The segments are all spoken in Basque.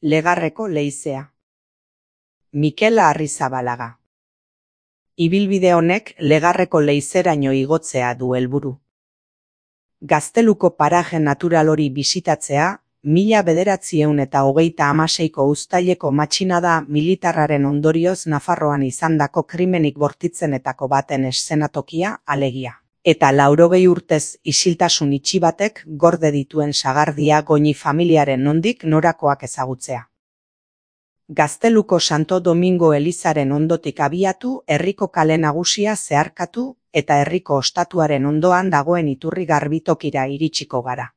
Legarreko leizea. Mikel Arrizabalaga. Ibilbide honek Legarreko leizeraino igotzea du helburu. Gazteluko paraje natural hori bisitatzea, 1936ko uztaileko matxinada militarraren ondorioz Nafarroan izandako krimenik bortitzenetako baten eszenatokia alegia. Eta 80 urtez isiltasun itxi batek gorde dituen sagardia Goñi familiaren nondik norakoak ezagutzea. Gazteluko Santo Domingo elizaren ondotik abiatu, herriko kale nagusia zeharkatu eta herriko ostatuaren ondoan dagoen iturri garbitokira iritsiko gara.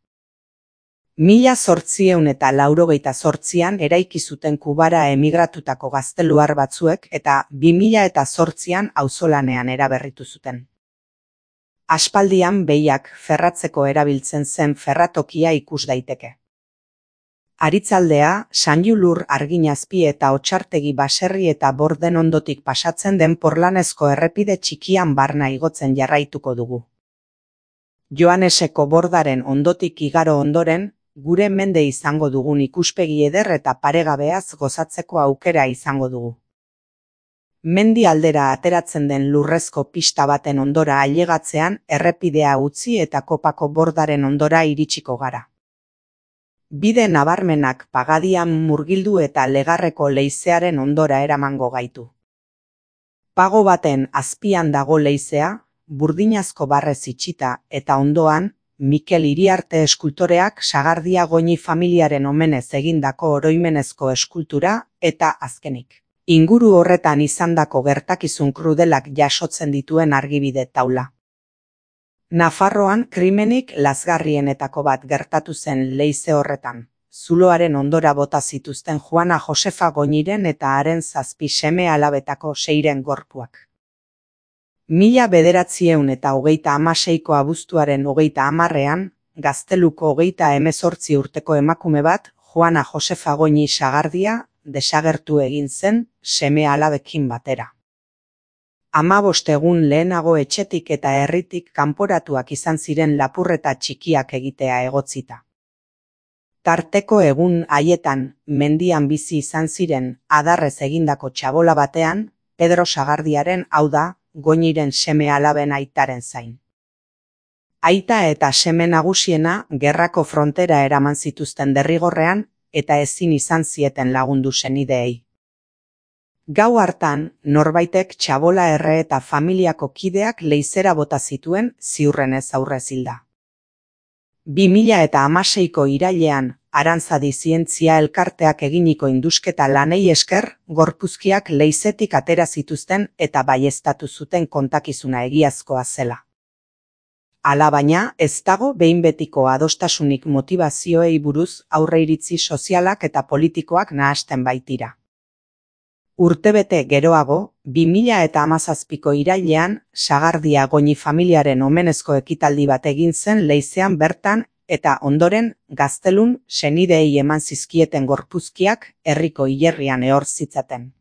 1888an eraiki zuten Kubara emigratutako gazteluar batzuek eta 2008an auzolanean eraberritu zuten. Aspaldian behiak ferratzeko erabiltzen zen ferratokia ikus daiteke. Aritzaldea, Sanjulur Arginazpi eta Otsartegi baserri eta Borden ondotik pasatzen den porlanezko errepide txikian barna igotzen jarraituko dugu. Joaneseko Bordaren ondotik igaro ondoren, gure mende izango dugun ikuspegi eder eta paregabeaz gozatzeko aukera izango dugu. Mendi aldera ateratzen den lurrezko pista baten ondora ailegatzean errepidea utzi eta Kopako Bordaren ondora iritsiko gara. Bide nabarmenak pagadian murgildu eta Legarreko leizearen ondora eramango gaitu. Pago baten azpian dago leizea, burdinazko barrez itxita eta ondoan, Mikel Iriarte eskultoreak sagardia Goñi familiaren omenez egindako oroimenezko eskultura eta azkenik. Inguru horretan izandako gertakizun krudelak jasotzen dituen argibide taula. Nafarroan krimenik lazgarrienetako bat gertatu zen leize horretan. Zuloaren ondora bota zituzten Juana Josefa Goñiren eta haren 7 seme alabetako 6 gorpuak. 1936ko abuztuaren 30ean, Gazteluko 38 urteko emakume bat, Juana Josefa Goñi sagardia, desagertu egin zen seme alabekin batera. 15 egun lehenago etxetik eta herritik kanporatuak izan ziren lapurreta txikiak egitea egotzita. Tarteko egun haietan mendian bizi izan ziren adarrez egindako txabola batean, Pedro Sagardiaren, hau da, Goñiren seme alaben aitaren zain. Aita eta seme nagusiena gerrako frontera eraman zituzten derrigorrean eta ezin izan zieten lagundu senideei. Gau hartan, norbaitek txabola erre eta familiako kideak leizera bota zituen ziurrenez aurrez hilda. 2016ko irailean, Arantzadi zientzia elkarteak eginiko indusketa lanei esker, gorpuzkiak leizetik atera zituzten eta baieztatu zuten kontakizuna egiazkoa zela. Alabaina, ez dago behin betiko adostasunik motivazioei buruz aurreiritzi sozialak eta politikoak nahasten baitira. Urtebete geroago, 2017ko irailean, Sagardia Goñi familiaren omenezko ekitaldi bat egin zen leizean bertan eta ondoren Gaztelun senideei eman zizkieten gorpuzkiak herriko hilerrian ehor zitzaten.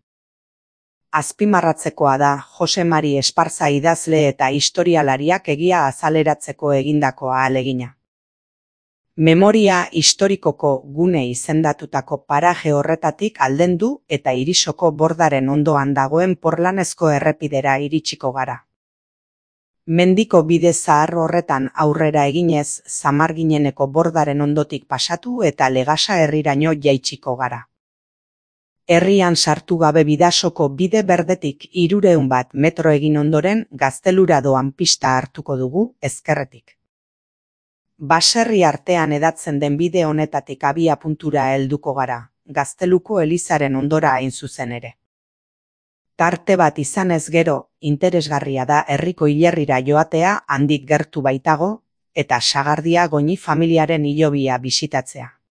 Azpimarratzekoa da Jose Mari Esparza idazle eta historialariak egia azaleratzeko egindako ahalegina. Memoria historikoko gune izendatutako paraje horretatik aldendu eta Irisoko Bordaren ondoan dagoen porlanezko errepidera iritsiko gara. Mendiko bide zahar horretan aurrera eginez Zamargineneko Bordaren ondotik pasatu eta Legasa herriraino jaitsiko gara. Herrian sartu gabe Bidasoko bide berdetik 300 metro egin ondoren Gaztelura doan pista hartuko dugu ezkerretik. Baserri artean edatzen den bide honetatik abia puntura helduko gara, Gazteluko elizaren ondora hain zuzen ere. Tarte bat izanez gero, interesgarria da herriko hilerrira joatea handik gertu baitago, eta Sagardia Goñi familiaren hilobia bisitatzea.